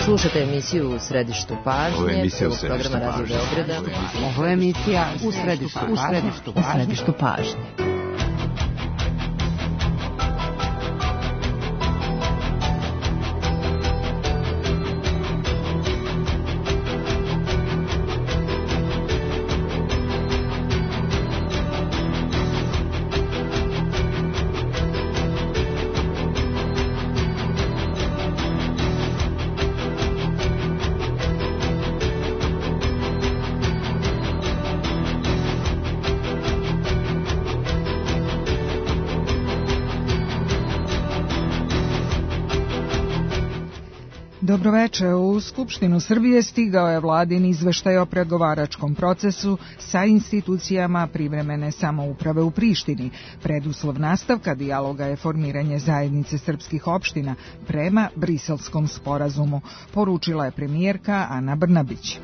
Slušate emisiju U središtu pažnje, programa Radio Beograda. Ovo je emisija U središtu pažnje. Dobroveče, u Skupštinu Srbije stigao je vladin izveštaj o pregovaračkom procesu sa institucijama privremene samouprave u Prištini. Preduslov nastavka dijaloga je formiranje zajednice srpskih opština prema Briselskom sporazumu, poručila je premijerka Ana Brnabić.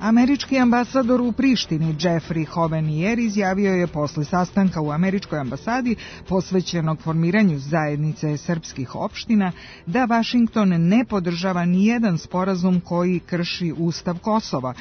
Američki ambasador u Prištini Jeffrey Hovenier izjavio je posle sastanka u američkoj ambasadi posvećenog formiranju zajednice srpskih opština da Vašington ne podržava nijedan sporazum koji krši Ustav Kosova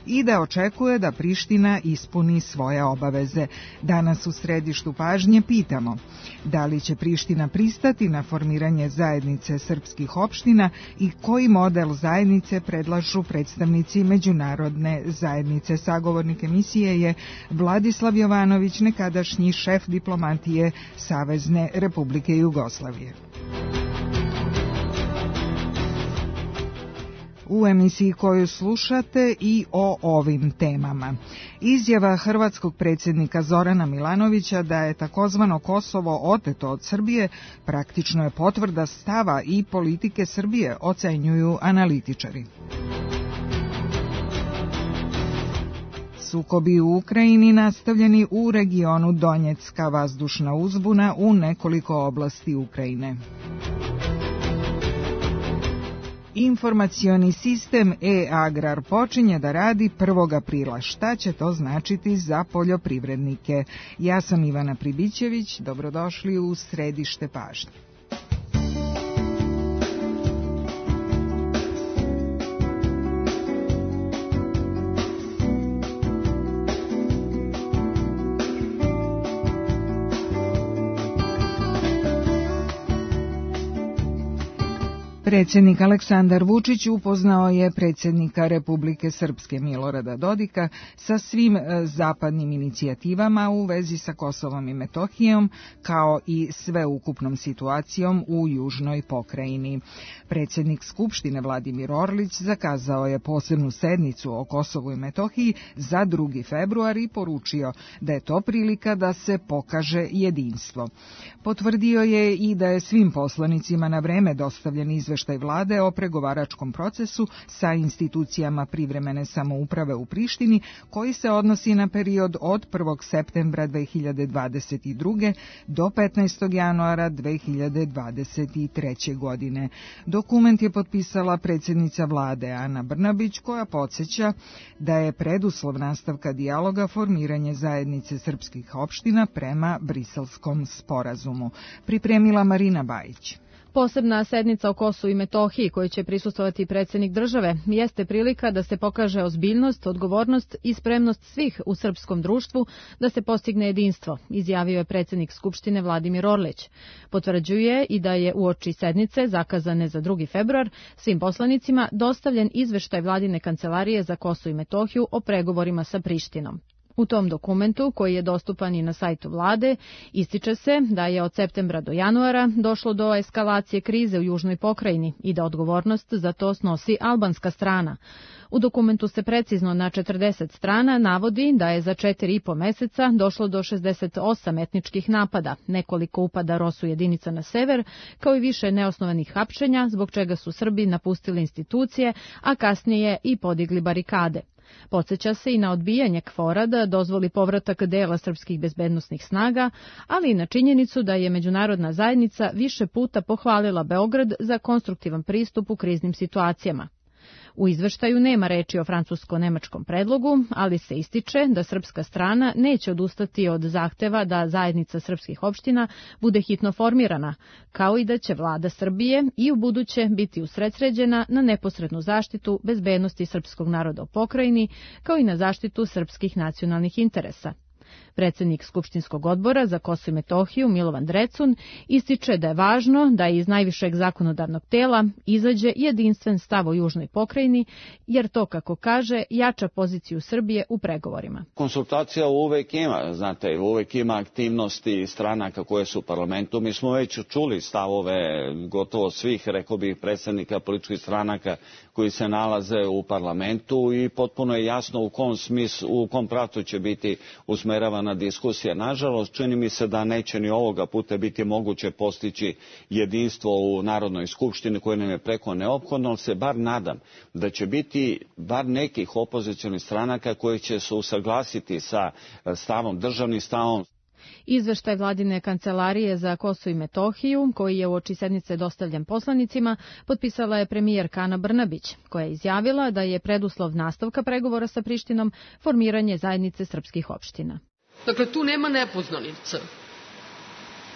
i da očekuje da Priština ispuni svoje obaveze. Danas u središtu pažnje pitamo da li će Priština pristati na formiranje zajednice srpskih opština i koji model zajednice predlažu predstavnici međunarodne zajednice. Sagovornik emisije je Vladislav Jovanović, nekadašnji šef diplomatije Savezne Republike Jugoslavije. U emisiji koju slušate i o ovim temama. Izjava hrvatskog predsjednika Zorana Milanovića da je takozvano Kosovo oteto od Srbije praktično je potvrda stava i politike Srbije, ocenjuju analitičari. Sukobi u Ukrajini nastavljeni u regionu Donjecka, vazdušna uzbuna u nekoliko oblasti Ukrajine. Informacioni sistem e-agrar počinje da radi 1. aprila. Šta će to značiti za poljoprivrednike? Ja sam Ivana Pribićević, dobrodošli u središte pažnje. Predsjednik Aleksandar Vučić upoznao je predsjednika Republike Srpske Milorada Dodika sa svim zapadnim inicijativama u vezi sa Kosovom i Metohijom, kao i sveukupnom situacijom u južnoj pokrajini. Predsjednik Skupštine Vladimir Orlić zakazao je posebnu sednicu o Kosovu i Metohiji za 2. februar i poručio da je to prilika da se pokaže jedinstvo. Potvrdio je i da je svim poslanicima na vreme dostavljen izveštaj vlade o pregovaračkom procesu sa institucijama privremene samouprave u Prištini, koji se odnosi na period od 1. septembra 2022. do 15. januara 2023. godine. Dokument je potpisala predsjednica vlade Ana Brnabić, koja podsjeća da je preduslov nastavka dijaloga formiranje zajednice srpskih opština prema Briselskom sporazumu. Pripremila Marina Bajić. Posebna sednica o Kosovu i Metohiji, kojoj će prisustvovati predsjednik države, jeste prilika da se pokaže ozbiljnost, odgovornost i spremnost svih u srpskom društvu da se postigne jedinstvo, izjavio je predsjednik Skupštine Vladimir Orlić. Potvrđuje i da je uoči sednice, zakazane za 2. februar, svim poslanicima dostavljen izveštaj vladine kancelarije za Kosovo i Metohiju o pregovorima sa Prištinom. U tom dokumentu, koji je dostupan i na sajtu vlade, ističe se da je od septembra do januara došlo do eskalacije krize u južnoj pokrajini i da odgovornost za to snosi albanska strana. U dokumentu se precizno na 40 strana navodi da je za 4,5 meseca došlo do 68 etničkih napada, nekoliko upada ROSU jedinica na sever, kao i više neosnovanih hapšenja, zbog čega su Srbi napustili institucije, a kasnije i podigli barikade. Podsjeća se i na odbijanje KFOR-a da dozvoli povratak dela srpskih bezbednosnih snaga, ali i na činjenicu da je međunarodna zajednica više puta pohvalila Beograd za konstruktivan pristup u kriznim situacijama. U izveštaju nema reči o francusko-nemačkom predlogu, ali se ističe da srpska strana neće odustati od zahteva da zajednica srpskih opština bude hitno formirana, kao i da će vlada Srbije i u buduće biti usredsređena na neposrednu zaštitu bezbednosti srpskog naroda u pokrajini, kao i na zaštitu srpskih nacionalnih interesa. Predsednik Skupštinskog odbora za Kosovo i Metohiju Milovan Drecun ističe da je važno da iz najvišeg zakonodavnog tela izađe jedinstven stav o južnoj pokrajini, jer to, kako kaže, jača poziciju Srbije u pregovorima. Konsultacija uvek ima, znate, uvek ima aktivnosti stranaka koje su u parlamentu. Mi smo već čuli stavove gotovo svih, rekao bih, predstavnika političkih stranaka koji se nalaze u parlamentu i potpuno je jasno u kom pravcu će biti usmeravana diskusija. Nažalost, čini mi se da neće ni ovoga puta biti moguće postići jedinstvo u Narodnoj skupštini koje nam je preko neophodno, ali se bar nadam da će biti bar nekih opozicionih stranaka koje će se usaglasiti sa stavom, državnim stavom. Izveštaj Vladine kancelarije za Kosovo i Metohiju, koji je uoči sednice dostavljen poslanicima, potpisala je premijerka Ana Brnabić, koja je izjavila da je preduslov nastavka pregovora sa Prištinom formiranje zajednice srpskih opština. Dakle, tu nema nepoznanica.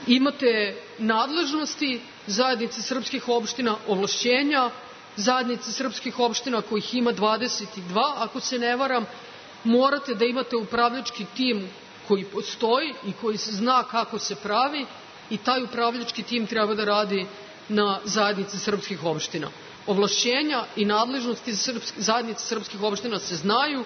Imate nadležnosti zajednice srpskih opština, ovlašćenja zajednice srpskih opština kojih ima 22, ako se ne varam, morate da imate upravljački tim koji postoji i koji se zna kako se pravi i taj upravljački tim treba da radi na zajednici srpskih opština. Ovlašćenja i nadležnosti zajednice srpskih opština se znaju,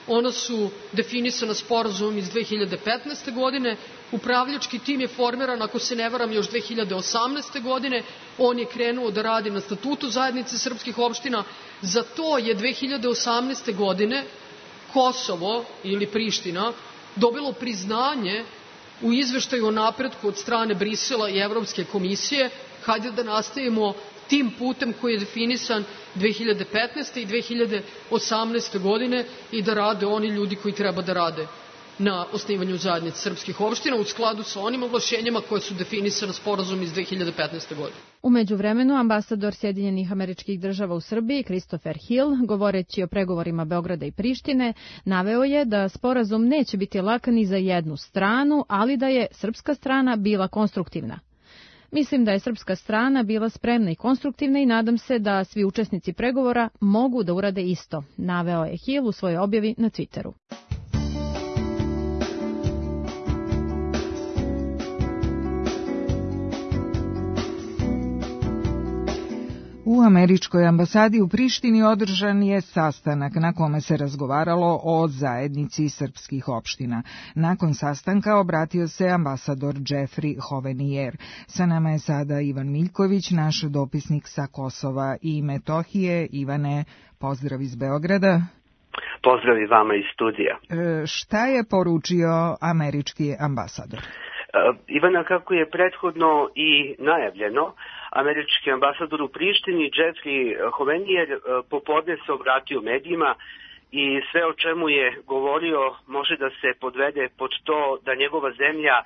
ona su definisana sporazumom iz 2015. godine, upravljački tim je formiran, ako se ne varam, još 2018. godine, on je krenuo da radi na statutu zajednice srpskih opština, za to je 2018. godine Kosovo ili Priština dobilo priznanje u izveštaju o napretku od strane Brisela i Evropske komisije. Hajde da nastavimo tim putem koji je definisan 2015. i 2018. godine i da rade oni ljudi koji treba da rade na osnivanju zajednice srpskih opština u skladu sa onim ovlašćenjima koje su definisane sporazum iz 2015. godine. U međuvremenu, ambasador Sjedinjenih Američkih Država u Srbiji, Christopher Hill, govoreći o pregovorima Beograda i Prištine, naveo je da sporazum neće biti lak ni za jednu stranu, ali da je srpska strana bila konstruktivna. Mislim da je srpska strana bila spremna i konstruktivna i nadam se da svi učesnici pregovora mogu da urade isto, naveo je Hill u svojoj objavi na Twitteru. U američkoj ambasadi u Prištini održan je sastanak na kome se razgovaralo o zajednici srpskih opština. Nakon sastanka obratio se ambasador Jeffrey Hovenier. Sa nama je sada Ivan Miljković, naš dopisnik sa Kosova i Metohije. Ivane, pozdrav iz Beograda. Pozdrav i vama iz studija. Šta je poručio američki ambasador? Ivana, kako je prethodno i najavljeno, američki ambasador u Prištini Jeffrey Hovenier popodne se obratio medijima i sve o čemu je govorio može da se podvede pod to da njegova zemlja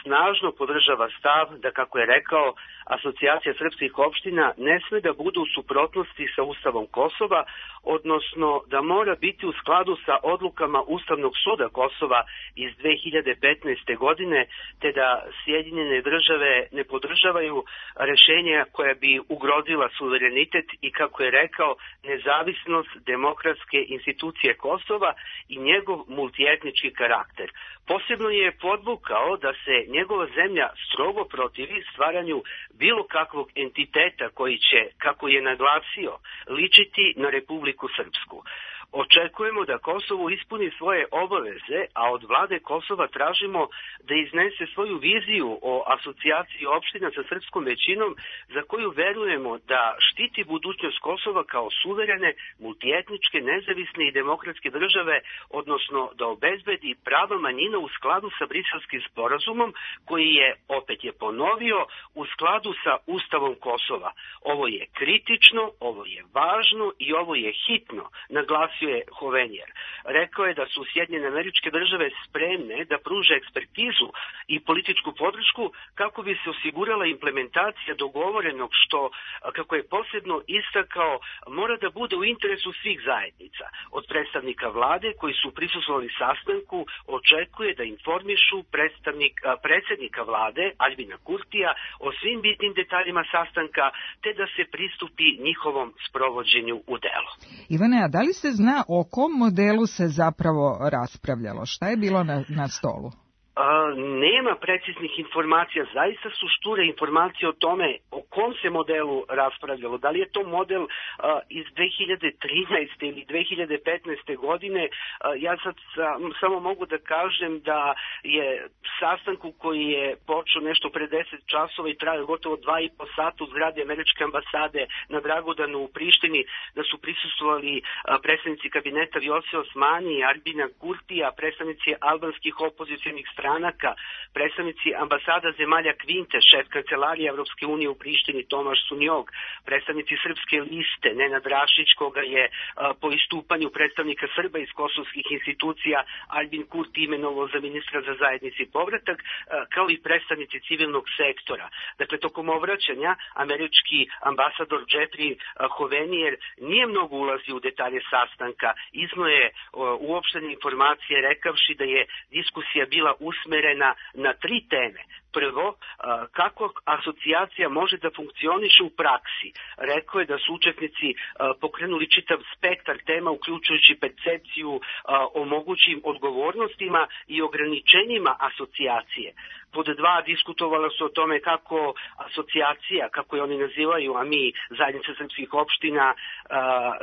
snažno podržava stav da, kako je rekao, asocijacija srpskih opština ne sme da budu u suprotnosti sa Ustavom Kosova, odnosno da mora biti u skladu sa odlukama Ustavnog suda Kosova iz 2015. godine, te da Sjedinjene države ne podržavaju rešenja koja bi ugrozila suverenitet i, kako je rekao, nezavisnost demokratske institucije Kosova i njegov multietnički karakter. Posebno je podvukao da se njegova zemlja strogo protivi stvaranju bilo kakvog entiteta koji će, kako je naglasio, ličiti na Republiku Srpsku. Očekujemo da Kosovo ispuni svoje obaveze, a od vlade Kosova tražimo da iznese svoju viziju o asocijaciji opština sa srpskom većinom, za koju verujemo da štiti budućnost Kosova kao suverene, multietničke, nezavisne i demokratske države, odnosno da obezbedi prava manjina u skladu sa Briselskim sporazumom, koji je, opet je ponovio, u skladu sa Ustavom Kosova. Ovo je kritično, ovo je važno i ovo je hitno, naglasio naglasio je Hovenijer. Rekao je da su Sjedinjene Američke Države spremne da pruže ekspertizu i političku podršku kako bi se osigurala implementacija dogovorenog što, kako je posebno istakao, mora da bude u interesu svih zajednica. Od predstavnika vlade koji su prisustvovali sastanku očekuje da informišu predsjednika vlade Aljbina Kurtija o svim bitnim detaljima sastanka te da se pristupi njihovom sprovođenju u delo. Ivane, a da li se zna o kom modelu se zapravo raspravljalo? Šta je bilo na stolu? Nema preciznih informacija, zaista su šture informacije o tome o kom se modelu raspravljalo. Da li je to model iz 2013. ili 2015. godine, ja sad samo mogu da kažem da je sastanku koji je počeo nešto pre 10 časova i trajao gotovo 2,5 sata u zgradi Američke ambasade na Dragudanu u Prištini, da su prisustvovali predstavnici kabineta Vjosi Osmani, Aljbina Kurtija, predstavnici albanskih opozicionih stranaka, predstavnici ambasada zemalja Kvinte, šef kancelarije Evropske unije u Prištini Tomaš Sunjog, predstavnici Srpske liste Nenad Rašić, koga je po istupanju predstavnika Srba iz kosovskih institucija Aljbin Kurti imenovao za ministra za zajednici i povratak, kao i predstavnici civilnog sektora. Dakle, tokom obraćanja američki ambasador Jeffrey Hovenijer nije mnogo ulazio u detalje sastanka, izneo je uopštene informacije rekavši da je diskusija bila usmerena na 3 teme. Prvo, kako asocijacija može da funkcioniše u praksi. Rekao je da su učesnici pokrenuli čitav spektar tema, uključujući percepciju o mogućim odgovornostima i ograničenjima asocijacije. Pod 2, diskutovalo se o tome kako asocijacija, kako je oni nazivaju, a mi zajednica srpskih opština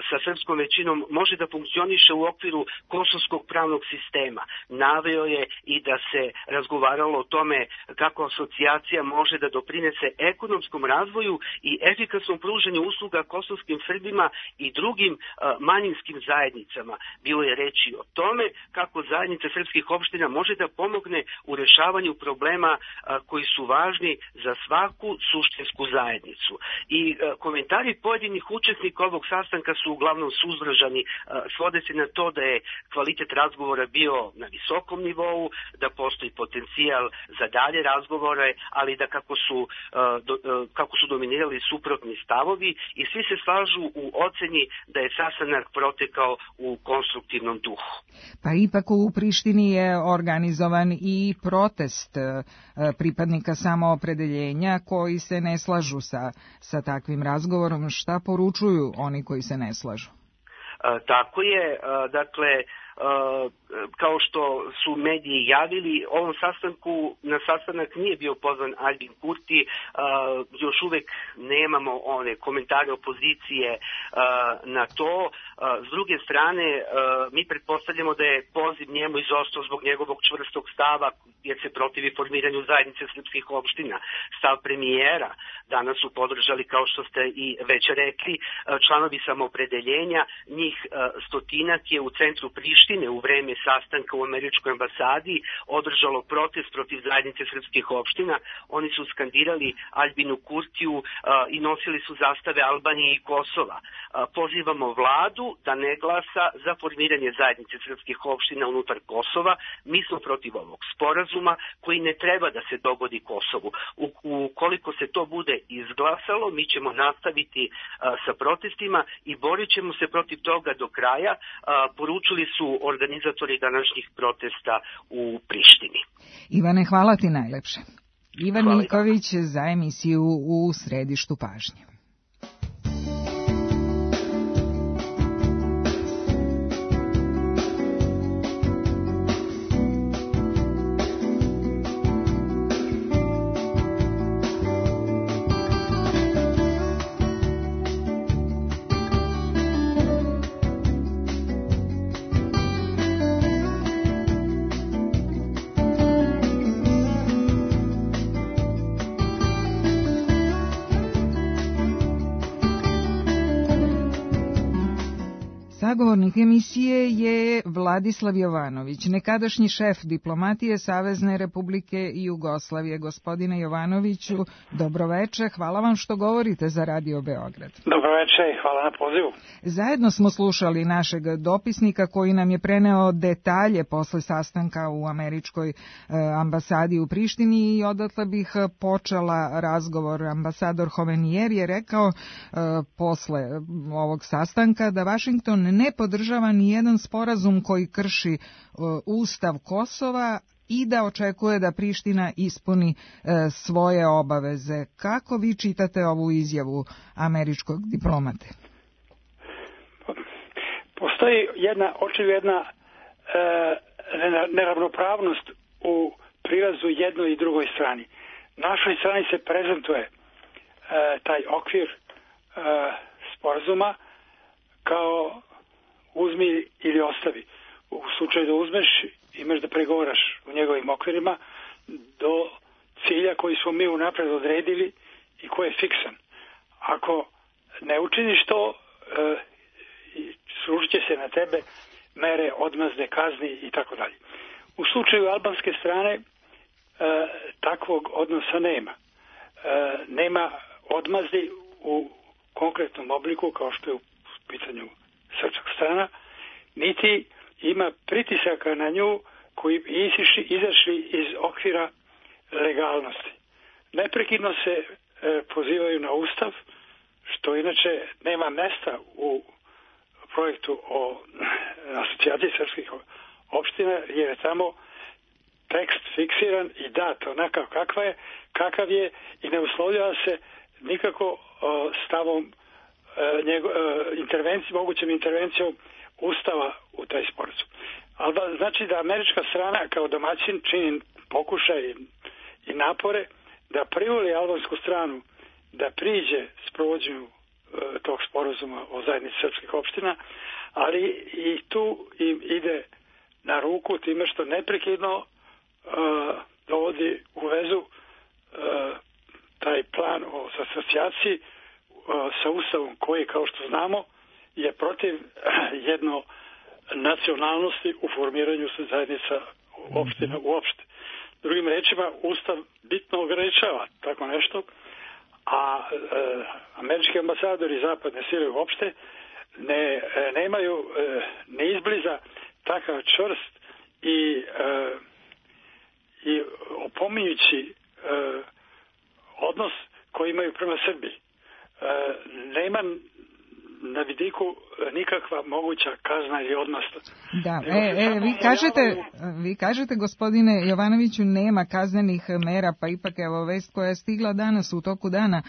sa srpskom većinom, može da funkcioniše u okviru kosovskog pravnog sistema. Naveo je i da se razgovaralo o tome kako asocijacija može da doprinese ekonomskom razvoju i efikasnom pružanju usluga kosovskim Srbima i drugim manjinskim zajednicama. Bilo je reči o tome kako zajednica srpskih opština može da pomogne u rešavanju problema koji su važni za svaku suštinsku zajednicu. I komentari pojedinih učesnika ovog sastanka su uglavnom suzdržani, svode se na to da je kvalitet razgovora bio na visokom nivou, da postoji potencijal za dalje razgovore, ali da kako su dominirali suprotni stavovi i svi se slažu u oceni da je sastanak protekao u konstruktivnom duhu. Pa ipak u Prištini je organizovan i protest pripadnika samoopredeljenja koji se ne slažu sa takvim razgovorom. Šta poručuju oni koji se ne slažu? Tako je, dakle, kao što su mediji javili, ovom na sastanak nije bio pozvan Aljbin Kurti, još uvek nemamo one komentare opozicije na to. S druge strane, mi pretpostavljamo da je poziv njemu izostao zbog njegovog čvrstog stava, jer se protivi formiranju zajednice srpskih opština. Stav premijera danas su podržali, kao što ste i već rekli, članovi samoopredeljenja, njih 100 je u centru Prištine u vreme sastanka u američkoj ambasadi održalo protest protiv zajednice srpskih opština. Oni su skandirali Aljbinu Kurtiju i nosili su zastave Albanije i Kosova. Pozivamo vladu da ne glasa za formiranje zajednice srpskih opština unutar Kosova. Mi smo protiv ovog sporazuma koji ne treba da se dogodi Kosovu. Ukoliko se to bude izglasalo, mi ćemo nastaviti sa protestima i borit ćemo se protiv toga do kraja, poručili su organizatori današnjih protesta u Prištini. Ivane, hvala ti najlepše. Ivan Niković za emisiju U središtu pažnje. Sagovornik emisije je Vladislav Jovanović, nekadašnji šef diplomatije Savezne Republike Jugoslavije. Gospodine Jovanoviću, dobroveče, hvala vam što govorite za Radio Beograd. Dobroveče i hvala na pozivu. Zajedno smo slušali našeg dopisnika koji nam je preneo detalje posle sastanka u američkoj ambasadi u Prištini i odatle bih počela razgovor. Ambasador Hovenier je rekao posle ovog sastanka da Vašington ne podržava ni jedan sporazum koji krši Ustav Kosova i da očekuje da Priština ispuni svoje obaveze. Kako vi čitate ovu izjavu američkog diplomate? Postoji očigledna neravnopravnost u prilazu jednoj i drugoj strani. Našoj strani se prezentuje taj okvir sporazuma kao uzmi ili ostavi. U slučaju da uzmeš, imaš da pregovaraš u njegovim okvirima do cilja koji smo mi unapred odredili i koji je fiksan. Ako ne učiniš to, sružit će se na tebe mere odmazde, kazni i tako dalje. U slučaju albanske strane takvog odnosa nema. Nema odmazdi u konkretnom obliku kao što je u pitanju srpska strana, niti ima pritisaka na nju koji izašli iz okvira legalnosti. Neprekidno se pozivaju na Ustav, što inače nema mesta u projektu o asocijaciji srpskih opština, jer je tamo tekst fiksiran i dat onakav kakav je i ne uslovljava se nikako stavom mogućem intervencijom Ustava u taj sporazum. Ali znači da američka strana kao domaćin čini pokušaj i napore da privoli albansku stranu da priđe sprovođenju tog sporazuma o zajednici srpskih opština, ali i tu im ide na ruku time što neprekidno dovodi u vezu taj plan o asocijaciji sa Ustavom koji, kao što znamo, je protiv jedno nacionalnosti u formiranju zajednica opština uopšte. Drugim rečima, Ustav bitno ograničava tako nešto, a američki ambasadori i zapadne sile uopšte nemaju ne izbliza takav čvrst i opominjući odnos koji imaju prema Srbiji. Nema na vidiku nikakva moguća kazna ili odmazda. Da, vi kažete, gospodine Jovanoviću, nema kaznenih mera, pa ipak evo vest koja je stigla danas u toku dana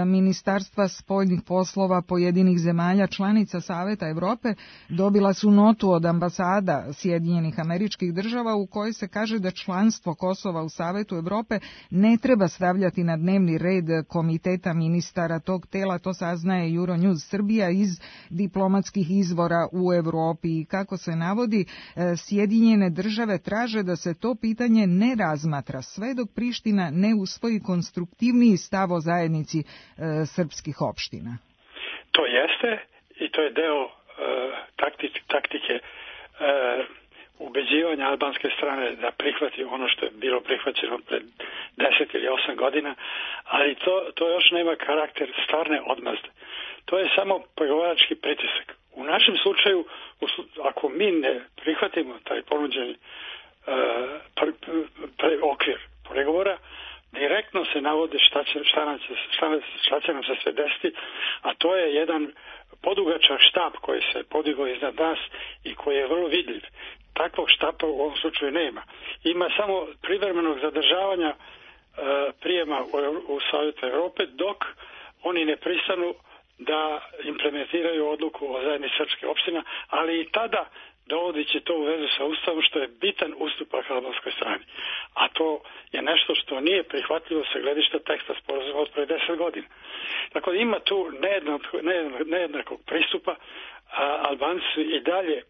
Ministarstva spoljnih poslova pojedinih zemalja članica Saveta Evrope dobila su notu od ambasada Sjedinjenih Američkih Država u kojoj se kaže da članstvo Kosova u Savetu Evrope ne treba stavljati na dnevni red komiteta ministara tog tela, to saznaje Euronews Srbija iz diplomatskih izvora u Evropi i kako se navodi, Sjedinjene Države traže da se to pitanje ne razmatra sve dok Priština ne usvoji konstruktivniji stav o zajednici srpskih opština. To jeste i to je deo taktike ubeđivanja albanske strane da prihvati ono što je bilo prihvaćeno pred 10 ili 8 godina, ali to još nema karakter stvarne odmazde. To je samo pregovarački pritisak. U našem slučaju, ako mi ne prihvatimo taj ponuđeni okvir pregovora, direktno se navode šta će nam se sve desiti, a to je jedan podugačak štap koji se podigao iznad nas i koji je vrlo vidljiv. Takvog štapa u ovom slučaju nema. Ima samo privremenog zadržavanja prijema u Savjetu Evrope dok oni ne pristanu da implementiraju odluku o zajednici srpskih opština, ali i tada dovodi će to u vezu sa Ustavom, što je bitan ustupak albanskoj strani. A to je nešto što nije prihvatljivo sa gledišta teksta sporazuma od pre 10 godina. Tako da ima tu nejednakog pristupa, a Albanci su i dalje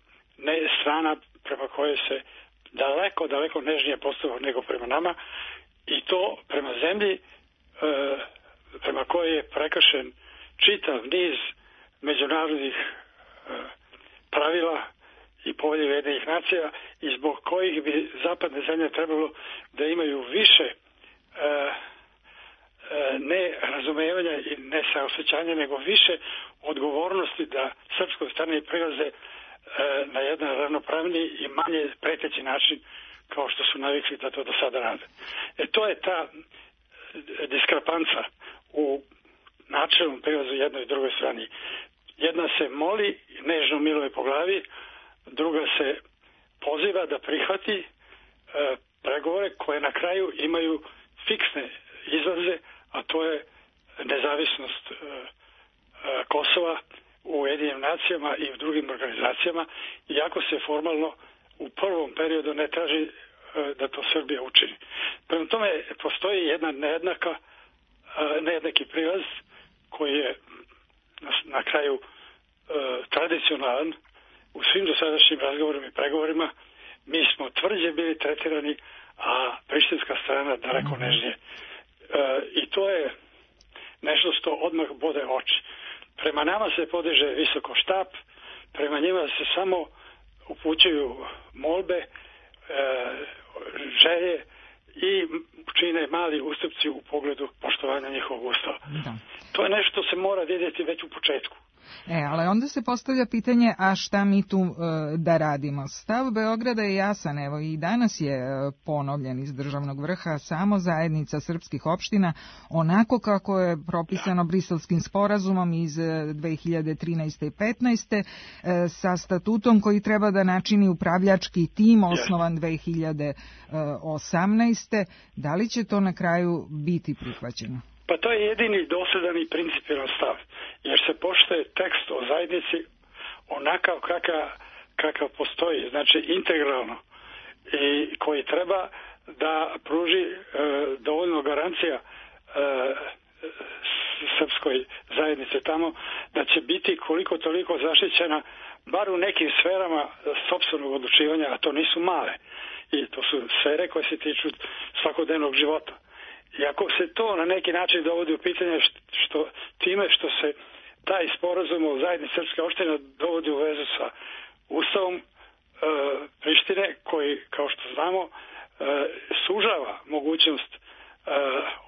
strana prema kojoj se daleko nežnije postupa nego prema nama, i to prema zemlji prema kojoj je prekršen čitav niz međunarodnih pravila i povelje Ujedinjenih nacija i zbog kojih bi zapadne zemlje trebalo da imaju više ne razumevanja i ne saosećanja, nego više odgovornosti da srpskoj strani prilaze na jedan ravnopravniji i manje preteći način kao što su navikli da to do sada rade. To je ta diskrepanca u načelnom prilazu jednoj i drugoj strani. Jedna se moli, nežno miluje po glavi, druga se poziva da prihvati pregovore koje na kraju imaju fiksne izlaze, a to je nezavisnost Kosova u Ujedinjenim nacijama i u drugim organizacijama, iako se formalno u prvom periodu ne traži da to Srbija učini. Prema tome postoji jedna nejednaki prilaz koji je na kraju tradicionalan u svim dosadašnjim razgovorima i pregovorima. Mi smo tvrđe bili tretirani, a prištinska strana daleko nežnije. I to je nešto što odmah bode oči. Prema nama se podiže visoko štap, prema njima se samo upućuju molbe, želje i čine mali ustupci u pogledu poštovanja njihovog ustava. Da. To je nešto se mora vidjeti već u početku. Ali onda se postavlja pitanje, a šta mi tu da radimo? Stav Beograda je jasan, evo i danas je ponovljen iz državnog vrha, samo zajednica srpskih opština, onako kako je propisano Briselskim sporazumom iz 2013. i 2015. Sa statutom koji treba da načini upravljački tim osnovan 2018. Da li će to na kraju biti prihvaćeno? Pa to je jedini dosledan i principijelan stav, jer se poštuje tekst o zajednici onakav kakav postoji, znači integralno, i koji treba da pruži dovoljno garancija srpskoj zajednici tamo, da će biti koliko toliko zaštićena bar u nekim sferama sopstvenog odlučivanja, a to nisu male. I to su sfere koje se tiču svakodnevnog života. I ako se to na neki način dovodi u pitanje što se taj sporazum o zajednici srpske opštine dovodi u vezu sa Ustavom Prištine, koji, kao što znamo, sužava mogućnost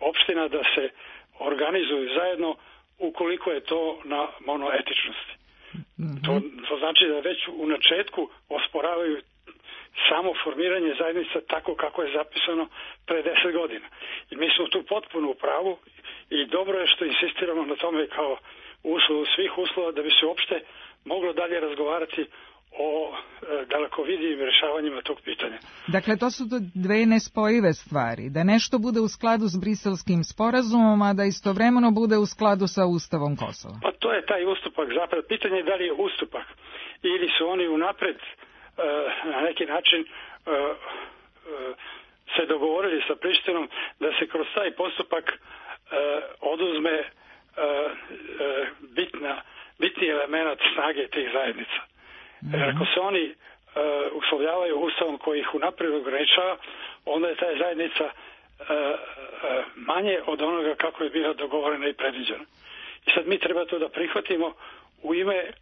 opština da se organizuju zajedno ukoliko je to na monoetičnosti. To znači da već u načetku osporavaju samo formiranje zajednica tako kako je zapisano pre 10 godina. I mi smo tu potpuno u pravu i dobro je što insistiramo na tome kao uslovu svih uslova da bi se uopšte moglo dalje razgovarati o dalekovidijim rješavanjima tog pitanja. Dakle, to su dve nespojive stvari. Da nešto bude u skladu s Briselskim sporazumom, a da istovremeno bude u skladu sa Ustavom Kosova. Pa to je taj ustupak. Zapravo, pitanje je da li je ustupak ili su oni unapred na neki način se dogovorili sa Prištinom da se kroz taj postupak oduzme bitni element snage tih zajednica. Jer ako se oni uslovljavaju ustavom koji ih unaprijed ograničava, onda je ta zajednica manje od onoga kako je bila dogovorena i predviđena. I sad mi treba to da prihvatimo u ime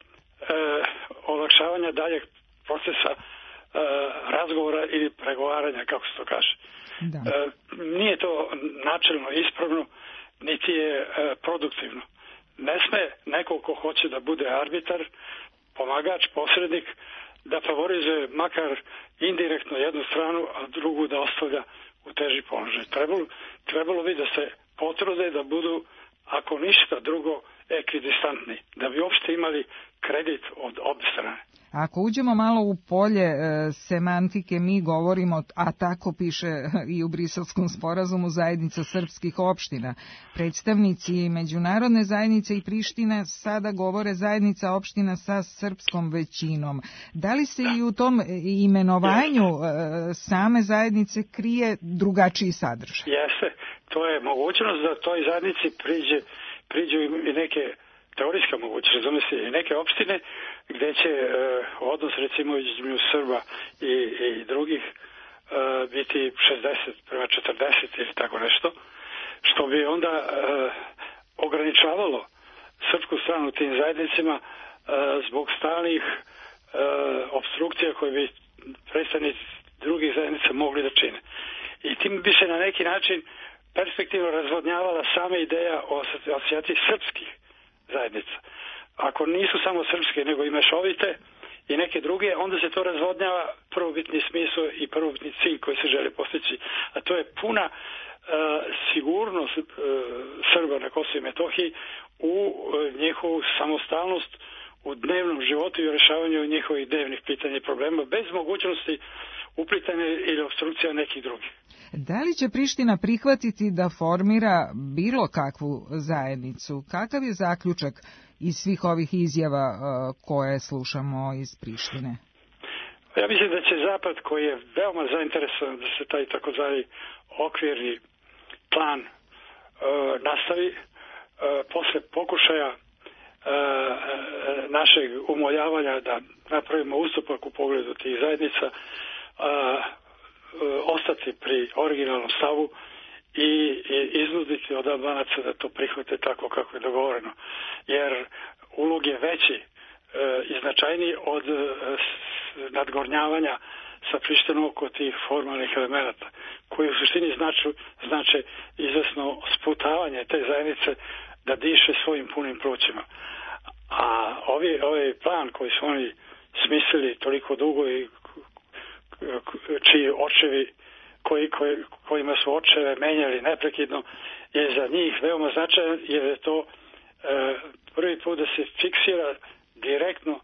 olakšavanja daljeg procesa razgovora ili pregovaranja, kako se to kaže. Nije to načelno ispravno, niti je produktivno. Ne sme neko ko hoće da bude arbitar, pomagač, posrednik, da favorizuje makar indirektno jednu stranu, a drugu da ostavlja u teži položaj. Trebalo bi da se potrude da budu, ako ništa drugo, ekvidistantni, da bi uopšte imali kredit od obje strane. Ako uđemo malo u polje semantike, mi govorimo, a tako piše i u Briselskom sporazumu, zajednica srpskih opština. Predstavnici međunarodne zajednice i Prištine sada govore zajednica opština sa srpskom većinom. Da li se i u tom imenovanju same zajednice krije drugačiji sadržaj? Jeste, to je mogućnost da toj zajednici priđu i neke teorijska mogućnost, razume se, i neke opštine gde će odnos recimo između Srba i drugih biti 60 prema 40 ili tako nešto, što bi onda ograničavalo srpsku stranu tim zajednicima zbog stalnih opstrukcija koje bi predstavnici drugih zajednica mogli da čine. I tim bi se na neki način perspektivno razvodnjavala sama ideja o asocijaciji srpskih zajednica. Ako nisu samo srpske, nego i mešovite i neke druge, onda se to razvodnjava prvobitni smisao i prvobitni cilj koji se želi postići. A to je puna sigurnost Srba na Kosovu i Metohiji u njihovu samostalnost u dnevnom životu i u rešavanju njihovih dnevnih pitanja i problema bez mogućnosti uplitanja ili opstrukcija nekih drugih. Da li će Priština prihvatiti da formira bilo kakvu zajednicu? Kakav je zaključak iz svih ovih izjava koje slušamo iz Prištine? Ja mislim da će Zapad, koji je veoma zainteresovan da se taj takozvani okvirni plan nastavi, posle pokušaja našeg umoljavanja da napravimo ustupak u pogledu tih zajednica, ostati pri originalnom stavu i iznuditi od Albanaca da to prihvate tako kako je dogovoreno. Jer ulog je veći i značajniji od nadgornjavanja sa Prištinom oko tih formalnih elemenata, koji u suštini znače izvesno sputavanje te zajednice da diše svojim punim plućima. A ovaj plan koji su oni smislili toliko dugo i čiji očevi kojima su očeve menjali neprekidno je za njih veoma značajan, jer je to prvi put da se fiksira direktno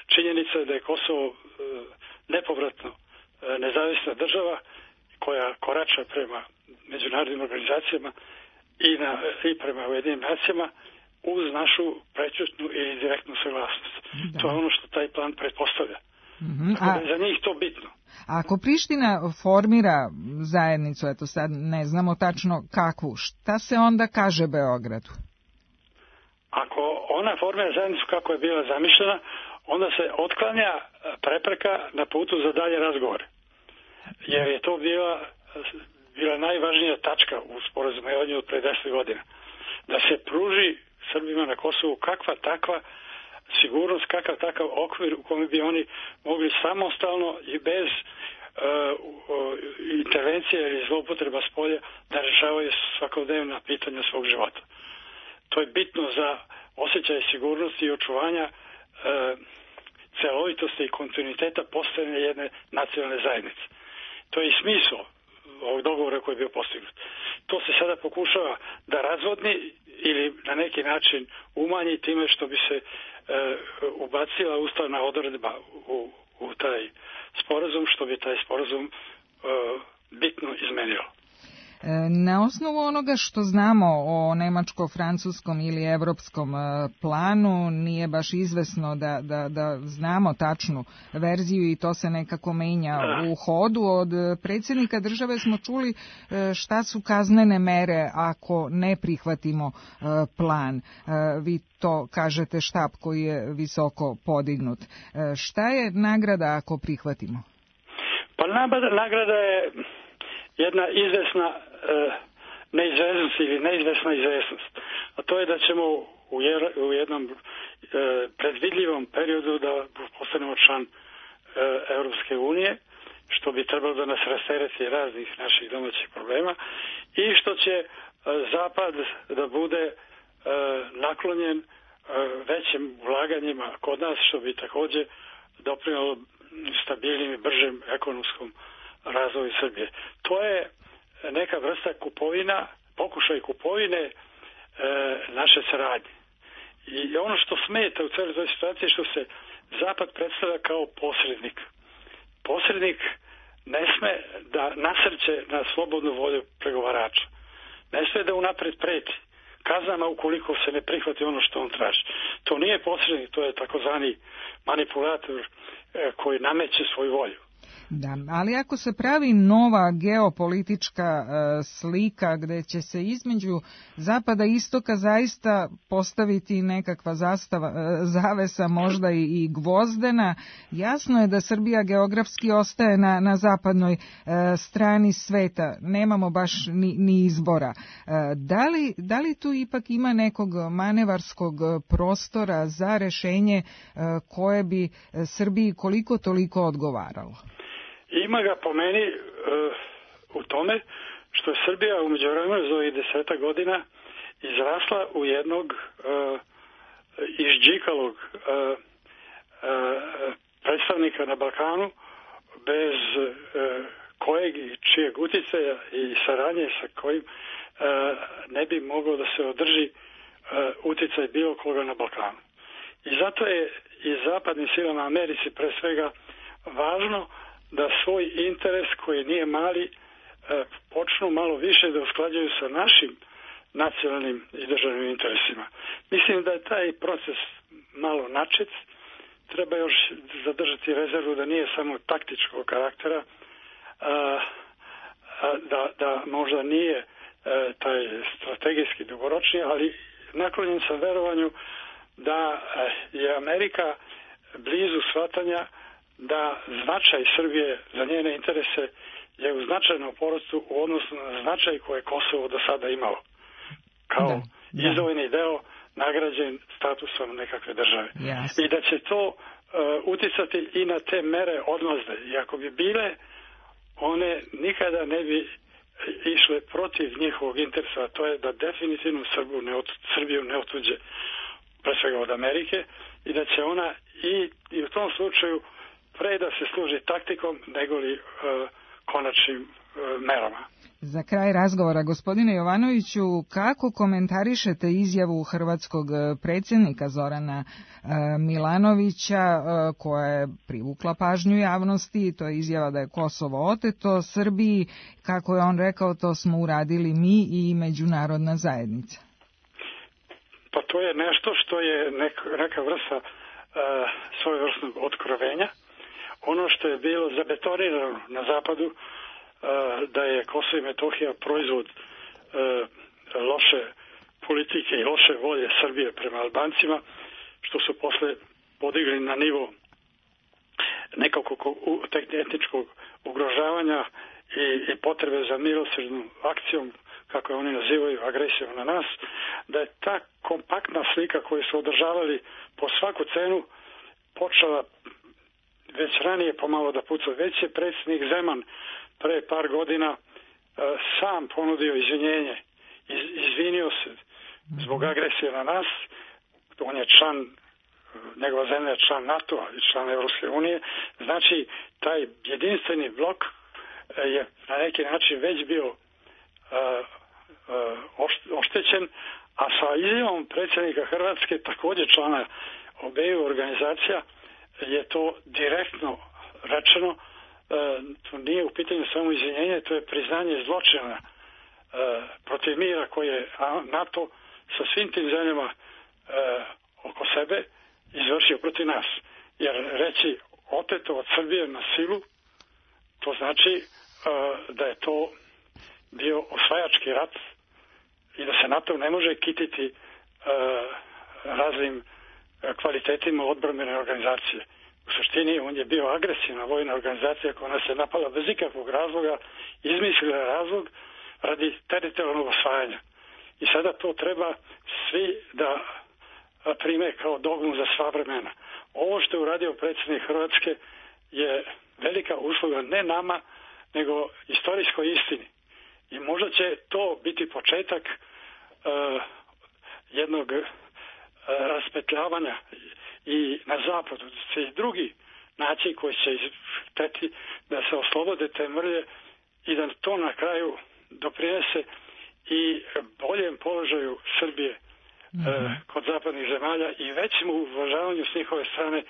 činjenica da je Kosovo nepovratno nezavisna država koja korača prema međunarodnim organizacijama i prema Ujedinjenim nacijama uz našu prećutnu ili direktnu saglasnost. Da. To je ono što taj plan pretpostavlja. Tako da je za njih to bitno. Ako Priština formira zajednicu, eto sad ne znamo tačno kakvu, šta se onda kaže Beogradu? Ako ona formira zajednicu kako je bila zamišljena, onda se otklanja prepreka na putu za dalje razgovore. Jer je to bila najvažnija tačka u sporazumevanju od pre 10 godina. Da se pruži Srbima na Kosovu kakva takva sigurnost, kakav takav okvir u kome bi oni mogli samostalno i bez intervencije ili zloupotreba spolja da rešavaju svakodnevna pitanja svog života. To je bitno za osjećaj sigurnosti i očuvanja celovitosti i kontinuiteta postojanja jedne nacionalne zajednice. To je i smisao ovog dogovora koji je bio postignut. To se sada pokušava da razvodni ili na neki način umanji time što bi se ubacila ustavna odredba u taj sporazum, što bi taj sporazum bitno izmenilo. Na osnovu onoga što znamo o nemačko-francuskom ili evropskom planu, nije baš izvesno da znamo tačnu verziju i to se nekako menja u hodu. Od predsjednika države smo čuli šta su kaznene mere ako ne prihvatimo plan. Vi to kažete štab koji je visoko podignut. Šta je nagrada ako prihvatimo? Pa nagrada je jedna izvesna neizvesnost ili neizvesna izvesnost. A to je da ćemo u jednom predvidljivom periodu da postanemo član Europske unije, što bi trebalo da nas rastereti raznih naših domaćih problema i što će Zapad da bude naklonjen većim ulaganjima kod nas, što bi takođe doprinalo stabilnim i bržem ekonomskom razvoju Srbije. To je neka vrsta kupovina, pokušaj kupovine naše saradnje. I ono što smeta u celoj toj situaciji je što se Zapad predstavlja kao posrednik. Posrednik ne sme da nasrće na slobodnu volju pregovarača. Ne sme da unapred preti kaznama ukoliko se ne prihvati ono što on traži. To nije posrednik, to je takozvani manipulator koji nameće svoju volju. Da, ali ako se pravi nova geopolitička slika gde će se između zapada i istoka zaista postaviti nekakva zavesa, možda i gvozdena, jasno je da Srbija geografski ostaje na zapadnoj strani sveta. Nemamo baš ni izbora. Da li tu ipak ima nekog manevarskog prostora za rešenje koje bi Srbiji koliko toliko odgovaralo? Ima ga po meni u tome što je Srbija u međuvremenu za ovih 10 godina izrasla u jednog izđikalog predstavnika na Balkanu bez kojeg i čijeg uticaja i saradnje sa kojim ne bi moglo da se održi uticaj bilo koga na Balkanu. I zato je i zapadnim silama Americi pre svega važno da svoj interes, koji nije mali, počnu malo više da usklađuju sa našim nacionalnim i državnim interesima. Mislim da je taj proces malo načet. Treba još zadržati rezervu da nije samo taktičkog karaktera, da možda nije taj strategijski dugoročni, ali naklonjen sam verovanju da je Amerika blizu shvatanja da značaj Srbije za njene interese je u značajnom porastu u odnosu na značaj koje Kosovo do sada imalo. Kao izdvojeni deo nagrađen statusom nekakve države. I da će to uticati i na te mere odmazde. I ako bi bile, one nikada ne bi išle protiv njihovog interesa, a to je da definitivno Srbiju ne otuđe pre svega od Amerike i da će ona i u tom slučaju pre da se služi taktikom nego li konačnim merama. Za kraj razgovora, gospodine Jovanoviću, kako komentarišete izjavu hrvatskog predsjednika Zorana Milanovića koja je privukla pažnju javnosti? To je izjava da je Kosovo oteto Srbiji. Kako je on rekao, to smo uradili mi i međunarodna zajednica. Pa to je nešto što je neka vrsta svojevrsnog otkrovenja. Ono što je bilo zabetonirano na zapadu, da je Kosovo i Metohija proizvod loše politike i loše volje Srbije prema Albancima, što su posle podigli na nivo nekakvog etničkog ugrožavanja i potrebe za milosrdnom akcijom, kako je oni nazivaju, agresijom na nas, da je ta kompaktna slika koju su održavali po svaku cenu počela već ranije pomalo da puca. Već je predsjednik Zeman pre par godina sam ponudio izvinjenje. Izvinio se zbog agresije na nas. On je član, njegova zemlja je član NATO-a i član Evropske unije. Znači, taj jedinstveni blok je na neki način već bio oštećen, a sa izjavom predsjednika Hrvatske, također člana obeju organizacija, je to direktno rečeno. To nije u pitanju samo izvinjenje, to je priznanje zločina protiv mira koje je NATO sa svim tim zemljama oko sebe izvršio protiv nas. Jer reći oteto od Srbije na silu, to znači da je to bio osvajački rat i da se NATO ne može kititi raznim kvalitetima odbrambene organizacije. U suštini on je bio agresivna vojna organizacija koja nas je napala bez ikakvog razloga, izmislila razlog radi teritorijalnog osvajanja. I sada to treba svi da prime kao dogmu za sva vremena. Ovo što je uradio predsjednik Hrvatske je velika usluga ne nama, nego istorijskoj istini. I možda će to biti početak jednog raspetljavanja i na zapadu se i drugi način koji će hteti da se oslobode te mrlje i da to na kraju doprinese i boljem položaju Srbije kod zapadnih zemalja i većem uvažavanju s njihove strane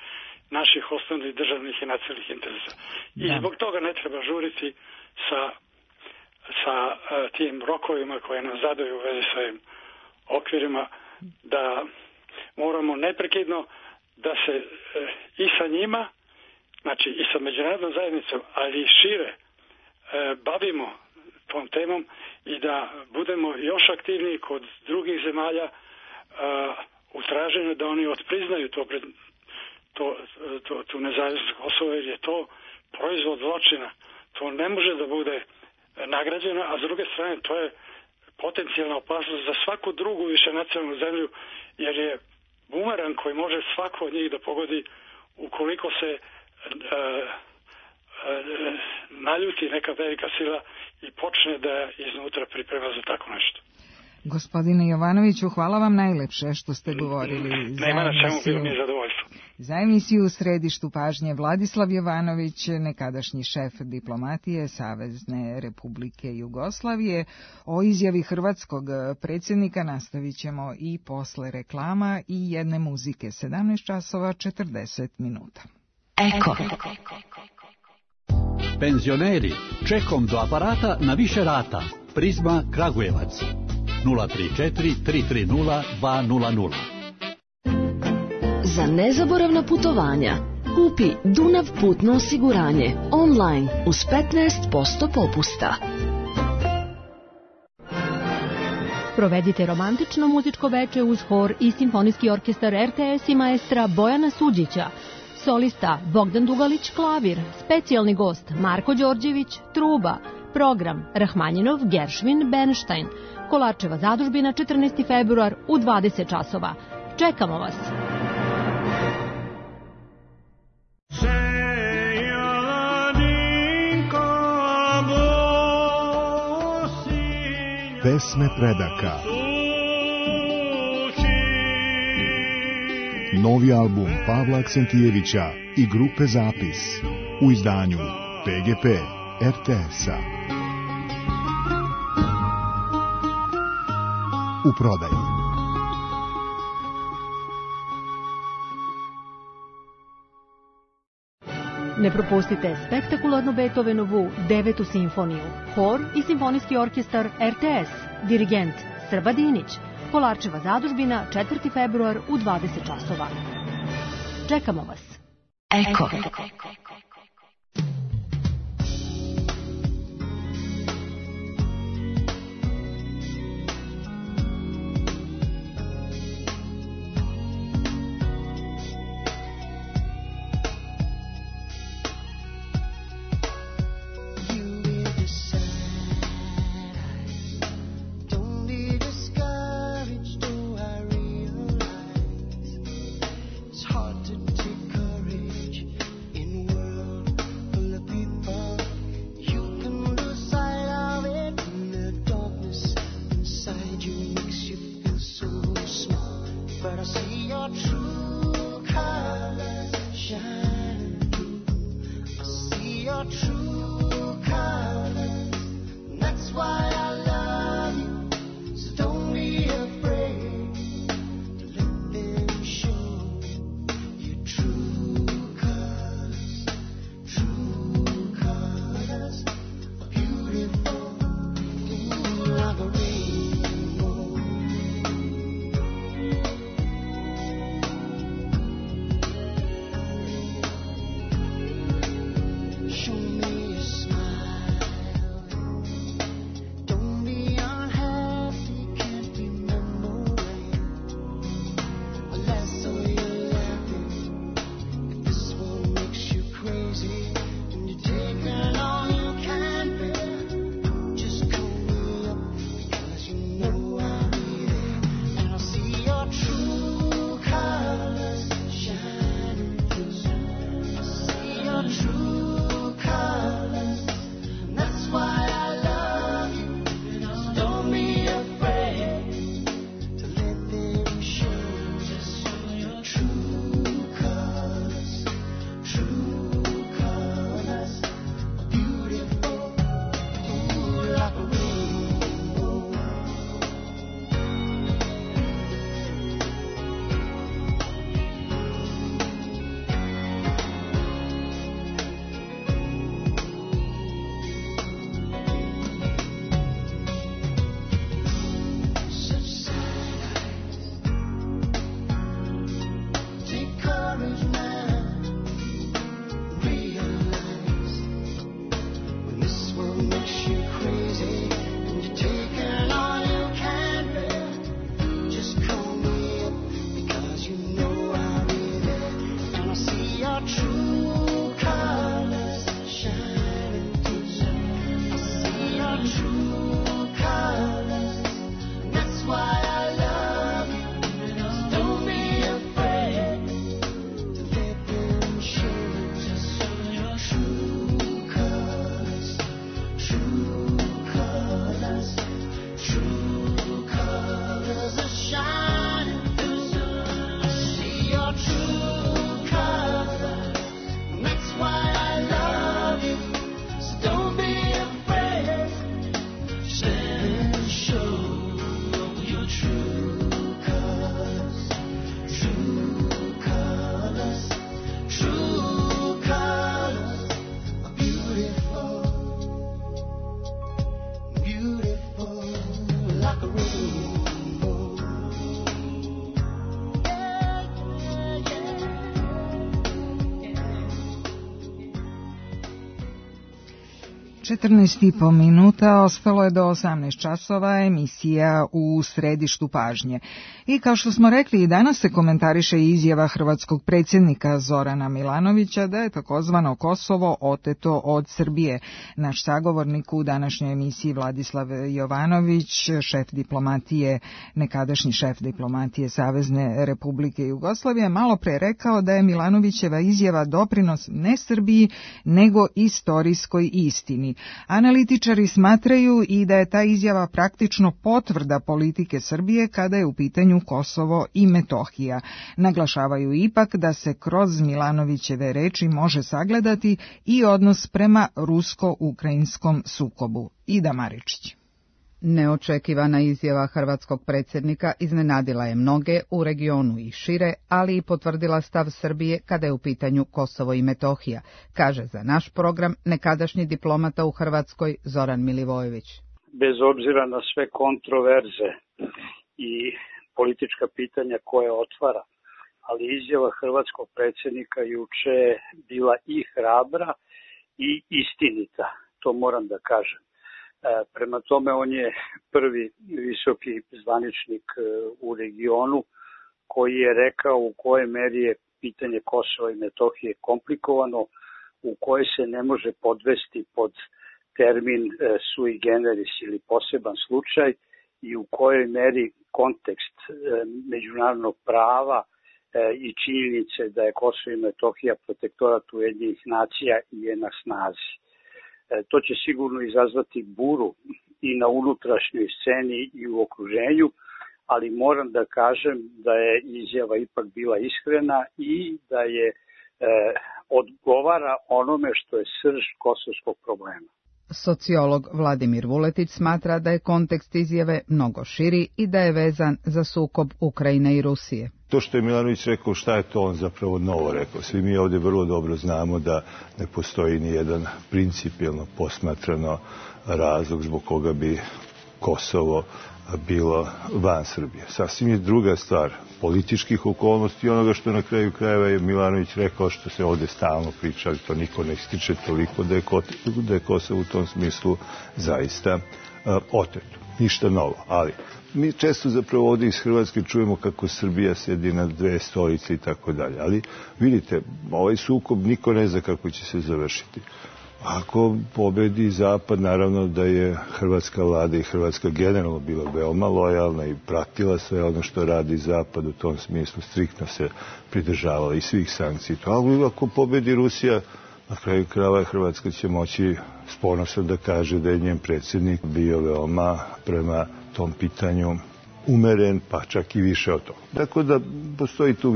naših osnovnih državnih i nacionalnih interesa. I zbog toga ne treba žuriti sa tim rokovima koje nam zadaju u vezi s ovim okvirima, da moramo neprekidno da se i sa njima znači i sa međunarodnom zajednicom, ali i šire, bavimo tom temom i da budemo još aktivniji kod drugih zemalja u traženju da oni odpriznaju tu nezavisnost Kosova, jer je to proizvod zločina. To ne može da bude nagrađeno, a s druge strane to je potencijalna opasnost za svaku drugu višenacionalnu zemlju, jer je bumerang koji može svako od njih da pogodi ukoliko se naljuti neka velika sila i počne da iznutra priprema za tako nešto. Gospodine Jovanoviću, hvala vam najlepše što ste govorili za emisiju U središtu pažnje. Vladislav Jovanović, nekadašnji šef diplomatije Savezne Republike Jugoslavije. O izjavi hrvatskog predsjednika nastavit ćemo i posle reklama i jedne muzike. 17 časova 40 minuta. Eko. Penzioneri, čekom do aparata na više rata. Prizma Kragujevac. 034 330 200. Za nezaboravna putovanja kupi Dunav putno osiguranje online uz 15% popusta. Provedite romantično muzičko veče uz hor i simfonijski orkestar RTS i maestra Bojana Suđića. Solista Bogdan Dugalić klavir, specijalni gost Marko Đorđević truba, program Rahmanjinov, Geršvin, Bernstein. Kolarčeva zadužbina 14. februar u 20 časova. Čekamo vas! Pesme predaka. Novi album Pavla Aksentijevića i grupe Zapis u izdanju PGP RTS-a. U prodaji. Ne propustite spektakularnu Beethovenovu 9. simfoniju, hor i simfonijski orkestar RTS, dirigent Srba Dinić, Kolarčeva zadužbina 4. februar u 20 časova. Čekamo vas. Eko. Hard to take courage in words. 14,5 minuta, ostalo je do 18 časova emisija u središtu pažnje. I kao što smo rekli, i danas se komentariše izjava hrvatskog predsjednika Zorana Milanovića da je takozvano Kosovo oteto od Srbije. Naš sagovornik u današnjoj emisiji Vladislav Jovanović, nekadašnji šef diplomatije Savezne Republike Jugoslavije, malo pre rekao da je Milanovićeva izjava doprinos ne Srbiji, nego istorijskoj istini. Analitičari smatraju i da je ta izjava praktično potvrda politike Srbije kada je u pitanju Kosovo i Metohija. Naglašavaju ipak da se kroz Milanovićeve reči može sagledati i odnos prema rusko-ukrajinskom sukobu. Ida Maričić. Neočekivana izjava hrvatskog predsjednika iznenadila je mnoge u regionu i šire, ali i potvrdila stav Srbije kada je u pitanju Kosovo i Metohija, kaže za naš program nekadašnji diplomata u Hrvatskoj Zoran Milivojević. Bez obzira na sve kontroverze i politička pitanja koje otvara, ali izjava hrvatskog predsjednika juče je bila i hrabra i istinita, to moram da kažem. Prema tome, on je prvi visoki zvaničnik u regionu koji je rekao u kojoj meri je pitanje Kosova i Metohije komplikovano, u kojoj se ne može podvesti pod termin sui generis ili poseban slučaj i u kojoj meri kontekst međunarodnog prava i činjenice da je Kosovo i Metohija protektorat Ujedinjenih nacija je na snazi. To će sigurno izazvati buru i na unutrašnjoj sceni i u okruženju, ali moram da kažem da je izjava ipak bila iskrena i da je odgovara onome što je srž kosovskog problema. Sociolog Vladimir Vuletić smatra da je kontekst izjave mnogo širi i da je vezan za sukob Ukrajine i Rusije. To što je Milanović rekao, šta je to on zapravo novo rekao? Svi mi ovdje vrlo dobro znamo da ne postoji ni jedan principijelno posmatrano razlog zbog koga bi Kosovo bilo van Srbije. Sasvim je druga stvar političkih okolnosti i onoga što na kraju krajeva je Milanović rekao, što se ovdje stalno priča, ali to niko ne ističe toliko, da je Kosovo u tom smislu zaista oteto. Ništa novo, ali mi često zapravo ovdje iz Hrvatske čujemo kako Srbija sedi na dve stolice i tako dalje, ali vidite, ovaj sukob niko ne zna kako će se završiti. Ako pobedi Zapad, naravno da je hrvatska vlada i Hrvatska generalno bila veoma lojalna i pratila sve ono što radi Zapad, u tom smislu striktno se pridržavala i svih sankcija. Ali ako pobedi Rusija, na kraju krajeva Hrvatska će moći s ponosom da kaže da je njen predsjednik bio veoma prema tom pitanju umeren, pa čak i više od toga. Tako da postoji tu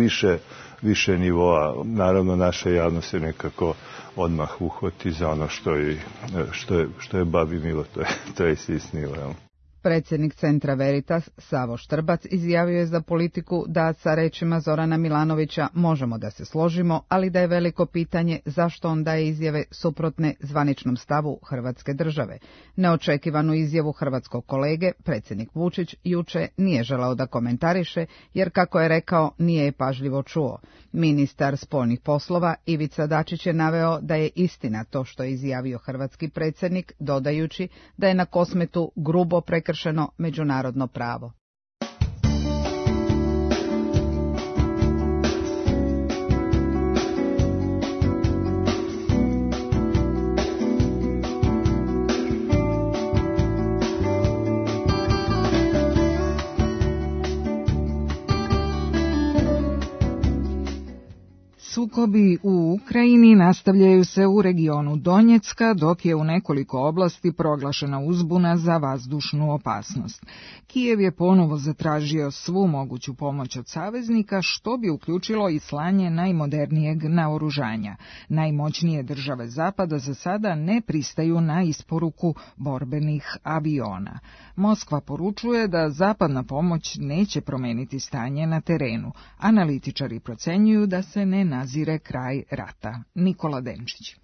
više nivoa. Naravno, naša javnost se nekako odmah uhvati za ono što je babi milo, to je sisnilo. Predsjednik Centra Veritas, Savo Štrbac, izjavio je za Politiku da sa rečima Zorana Milanovića možemo da se složimo, ali da je veliko pitanje zašto on daje izjave suprotne zvaničnom stavu Hrvatske države. Neočekivanu izjavu hrvatskog kolege, predsjednik Vučić, juče nije želeo da komentariše, jer kako je rekao, nije je pažljivo čuo. Ministar spoljnih poslova Ivica Dačić je naveo da je istina to što je izjavio hrvatski predsjednik, dodajući da je na Kosmetu grubo prekršeno međunarodno pravo. Sukobi u Ukrajini nastavljaju se u regionu Donjecka, dok je u nekoliko oblasti proglašena uzbuna za vazdušnu opasnost. Kijev je ponovo zatražio svu moguću pomoć od saveznika, što bi uključilo i slanje najmodernijeg naoružanja. Najmoćnije države Zapada za sada ne pristaju na isporuku borbenih aviona. Moskva poručuje da zapadna pomoć neće promeniti stanje na terenu. Analitičari procenjuju da se ne nazire kraj rata. Nikola Denčić.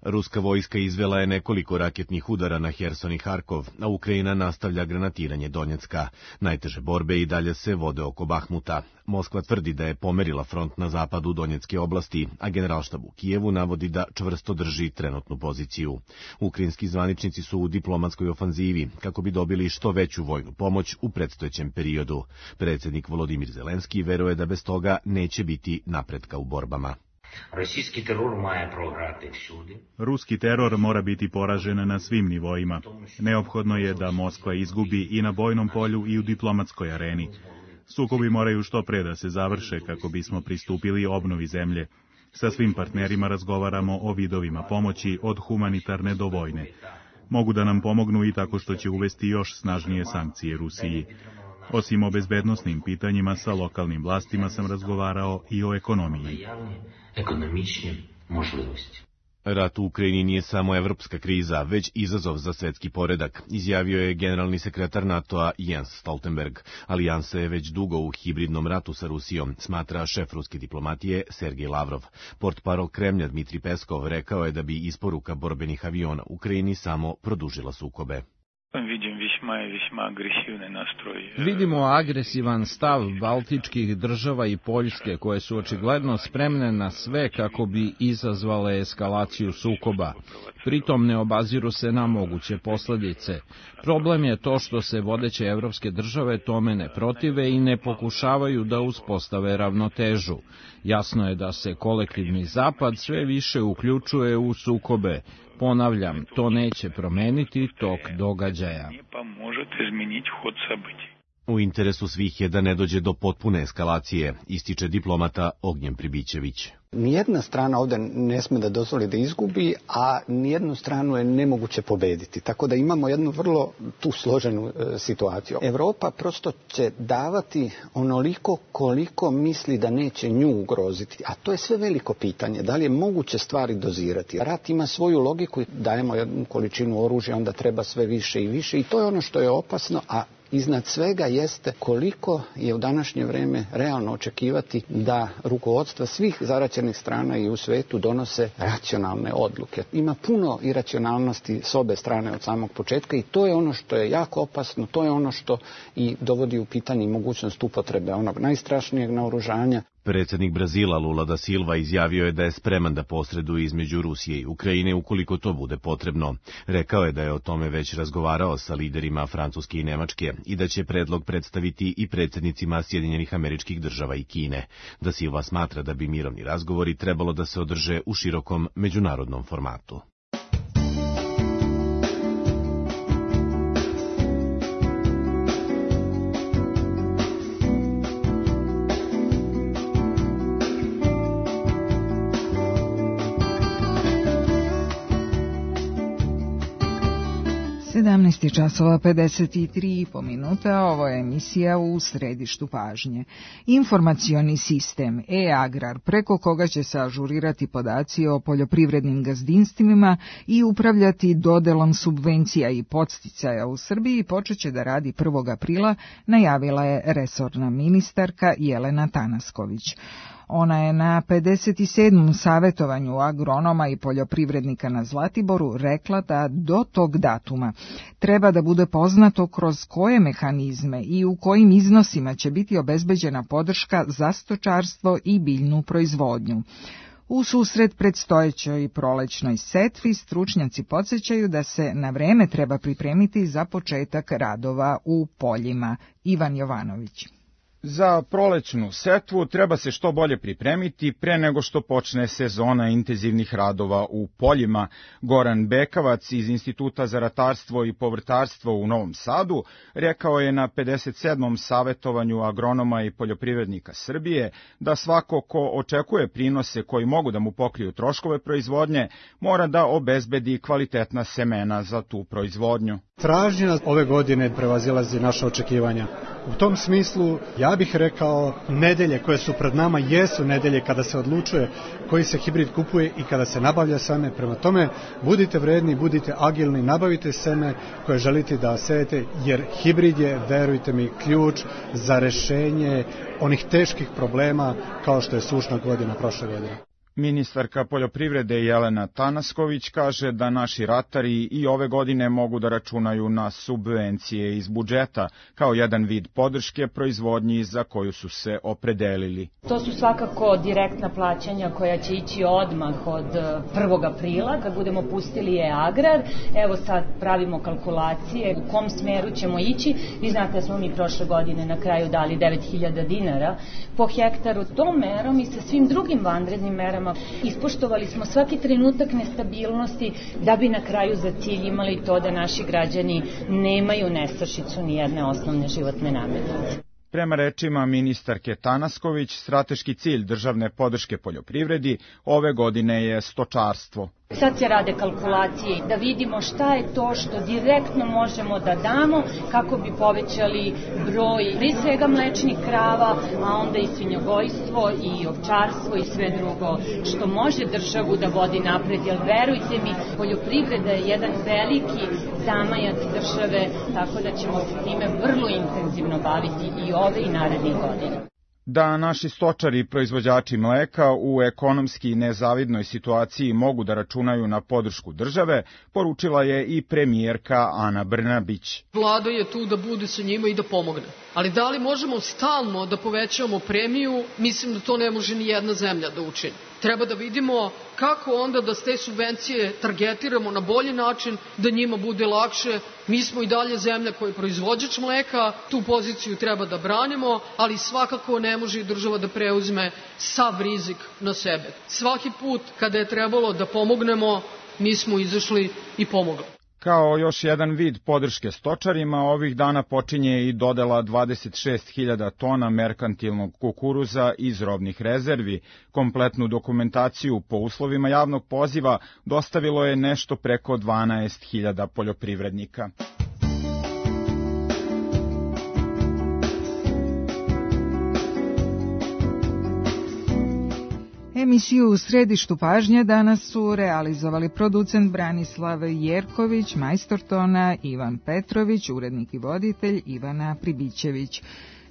Ruska vojska izvela je nekoliko raketnih udara na Herson i Harkov, a Ukrajina nastavlja granatiranje Donjecka. Najteže borbe i dalje se vode oko Bahmuta. Moskva tvrdi da je pomerila front na zapadu Donjecke oblasti, a generalštab u Kijevu navodi da čvrsto drži trenutnu poziciju. Ukrajinski zvaničnici su u diplomatskoj ofanzivi kako bi dobili što veću vojnu pomoć u predstojećem periodu. Predsjednik Volodimir Zelenski veruje da bez toga neće biti napretka u borbama. Ruski teror mora biti poražen na svim nivoima. Neophodno je da Moskva izgubi i na bojnom polju i u diplomatskoj areni. Sukobi moraju što pre da se završe kako bismo pristupili obnovi zemlje. Sa svim partnerima razgovaramo o vidovima pomoći od humanitarne do vojne. Mogu da nam pomognu i tako što će uvesti još snažnije sankcije Rusiji. Osim o bezbednosnim pitanjima sa lokalnim vlastima sam razgovarao i o ekonomiji. Rat u Ukrajini nije samo evropska kriza, već izazov za svetski poredak, izjavio je generalni sekretar NATO-a Jens Stoltenberg. Alijansa je već dugo u hibridnom ratu sa Rusijom, smatra šef ruske diplomatije Sergej Lavrov. Portparol Kremlja Dmitri Peskov rekao je da bi isporuka borbenih aviona Ukrajini samo produžila sukobe. Vidimo agresivan stav baltičkih država i Poljske, koje su očigledno spremne na sve kako bi izazvale eskalaciju sukoba. Pritom ne obaziru se na moguće posljedice. Problem je to što se vodeće evropske države tome ne protive i ne pokušavaju da uspostave ravnotežu. Jasno je da se kolektivni zapad sve više uključuje u sukobe. Ponavljam, to neće promeniti tok događaja. U interesu svih je da ne dođe do potpune eskalacije, ističe diplomata Ognjen Pribićević. Nijedna strana ovdje ne sme da dozvoli da izgubi, a nijednu stranu je nemoguće pobediti. Tako da imamo jednu vrlo tu složenu situaciju. Evropa prosto će davati onoliko koliko misli da neće nju ugroziti. A to je sve veliko pitanje. Da li je moguće stvari dozirati? Rat ima svoju logiku, dajemo jednu količinu oružja, onda treba sve više i više. I to je ono što je opasno, a iznad svega jeste koliko je u današnje vrijeme realno očekivati da rukovodstva svih zaraćenih strana i u svetu donose racionalne odluke. Ima puno iracionalnosti s obe strane od samog početka i to je ono što je jako opasno, to je ono što i dovodi u pitanje mogućnost upotrebe onog najstrašnijeg naoružanja. Predsjednik Brazila Lula da Silva izjavio je da je spreman da posreduje između Rusije i Ukrajine ukoliko to bude potrebno. Rekao je da je o tome već razgovarao sa liderima Francuske i Nemačke i da će predlog predstaviti i predsjednicima Sjedinjenih Američkih Država i Kine. Da Silva smatra da bi mirovni razgovori trebalo da se održe u širokom međunarodnom formatu. časova 53,5 minuta, ovo je emisija u središtu pažnje. Informacioni sistem e-agrar, preko koga će se ažurirati podaci o poljoprivrednim gazdinstvima i upravljati dodelom subvencija i podsticaja u Srbiji, počet će da radi 1. aprila, najavila je resorna ministarka Jelena Tanasković. Ona je na 57. savjetovanju agronoma i poljoprivrednika na Zlatiboru rekla da do tog datuma treba da bude poznato kroz koje mehanizme i u kojim iznosima će biti obezbeđena podrška za stočarstvo i biljnu proizvodnju. U susret predstojećoj prolećnoj setvi stručnjaci podsjećaju da se na vreme treba pripremiti za početak radova u poljima. Ivan Jovanović. Za prolećnu setvu treba se što bolje pripremiti pre nego što počne sezona intenzivnih radova u poljima. Goran Bekavac iz Instituta za ratarstvo i povrtarstvo u Novom Sadu rekao je na 57. savetovanju agronoma i poljoprivrednika Srbije da svako ko očekuje prinose koji mogu da mu pokriju troškove proizvodnje mora da obezbedi kvalitetna semena za tu proizvodnju. Tražnja ove godine prevazilazi naše očekivanja. U tom smislu, ja bih rekao, nedelje koje su pred nama jesu nedelje kada se odlučuje koji se hibrid kupuje i kada se nabavlja seme. Prema tome, budite vredni, budite agilni, nabavite seme koje želite da sejete, jer hibrid je, verujte mi, ključ za rešenje onih teških problema kao što je sušna godina prošle godine. Ministarka poljoprivrede Jelena Tanasković kaže da naši ratari i ove godine mogu da računaju na subvencije iz budžeta kao jedan vid podrške proizvodnji za koju su se opredelili. To su svakako direktna plaćanja koja će ići odmah od 1. aprila kad budemo pustili e-agrar. Evo sad pravimo kalkulacije u kom smeru ćemo ići. Vi znate da smo mi prošle godine na kraju dali 9.000 dinara po hektaru. Tom merom i sa svim drugim vanrednim merama ispoštovali smo svaki trenutak nestabilnosti da bi na kraju za cilj imali to da naši građani nemaju nestašicu ni jedne osnovne životne namirnice. Prema rečima ministarke Tanasković, strateški cilj državne podrške poljoprivredi ove godine je stočarstvo. Sad se rade kalkulacije da vidimo šta je to što direktno možemo da damo kako bi povećali broj prije svega mlečnih krava, a onda i svinjogojstvo i ovčarstvo i sve drugo što može državu da vodi napred, jer verujte mi, poljoprivreda je jedan veliki zamajac države, tako da ćemo se time vrlo intenzivno baviti i ove i narednih godina. Da naši stočari i proizvođači mleka u ekonomski nezavidnoj situaciji mogu da računaju na podršku države, poručila je i premijerka Ana Brnabić. Vlada je tu da bude sa njima i da pomogne. Ali da li možemo stalno da povećavamo premiju, mislim da to ne može ni jedna zemlja da učini. Treba da vidimo kako onda da te subvencije targetiramo na bolji način, da njima bude lakše. Mi smo i dalje zemlja koja je proizvođač mleka, tu poziciju treba da branimo, ali svakako ne može država da preuzme sav rizik na sebe. Svaki put kada je trebalo da pomognemo, mi smo izašli i pomogli. Kao još jedan vid podrške stočarima, ovih dana počinje i dodela 26.000 tona merkantilnog kukuruza iz robnih rezervi. Kompletnu dokumentaciju po uslovima javnog poziva dostavilo je nešto preko 12.000 poljoprivrednika. Emisiju u središtu pažnje danas su realizovali producent Branislav Jerković, majstor tona Ivan Petrović, urednik i voditelj Ivana Pribićević.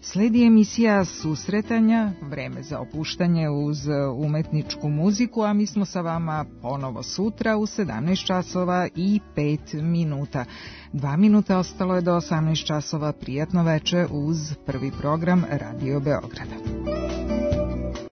Sledi emisija susretanja, vreme za opuštanje uz umetničku muziku, a mi smo sa vama ponovo sutra u 17 časova i 5 minuta. 2 minuta ostalo je do 18 časova. Prijatno veče uz prvi program Radio Beograda.